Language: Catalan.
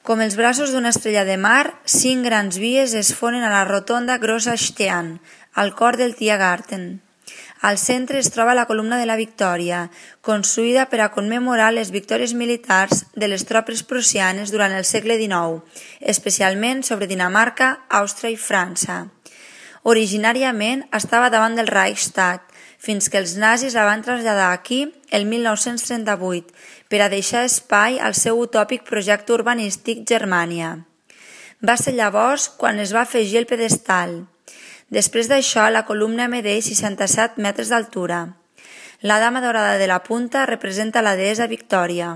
Com els braços d'una estrella de mar, 5 grans vies es fonen a la rotonda Großer Stern, al cor del Tiergarten. Al centre es troba la columna de la Victòria, construïda per a commemorar les victòries militars de les tropes prussianes durant el segle XIX, especialment sobre Dinamarca, Àustria i França. Originàriament estava davant del Reichstag, fins que els nazis la van traslladar aquí el 1938 per a deixar espai al seu utòpic projecte urbanístic Germània. Va ser llavors quan es va afegir el pedestal. Després d'això, la columna medeix 67 metres d'altura. La dama daurada de la punta representa la deessa Victòria.